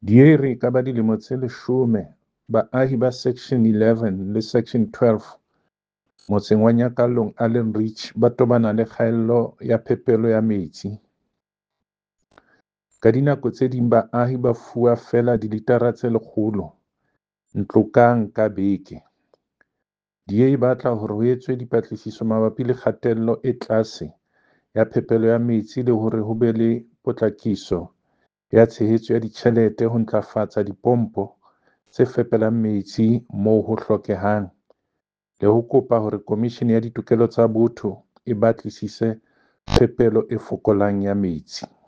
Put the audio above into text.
DA e re e ka ba dilemo tse 10 baahi ba Section 11 le Section 12 motseng wa Nyakallong Allanridge ba tobana le kgaello ya phepelo ya metsi. Ka dinako tse ding baahi ba fuwa feela dilitara tse 100 ntlo kang ka beke. DA e batla hore ho etswe dipatlisiso mabapi le kgatello e tlase ya phepelo ya metsi le hore ho be le potlakiso ya tshehetso ya ditjhelete ho ntlafatsa dipompo tse fepelang metsi moo ho hlokehang, le ho kopa hore Komishini ya Ditokelo tsa Botho e batlisise phepelo e fokolang ya metsi.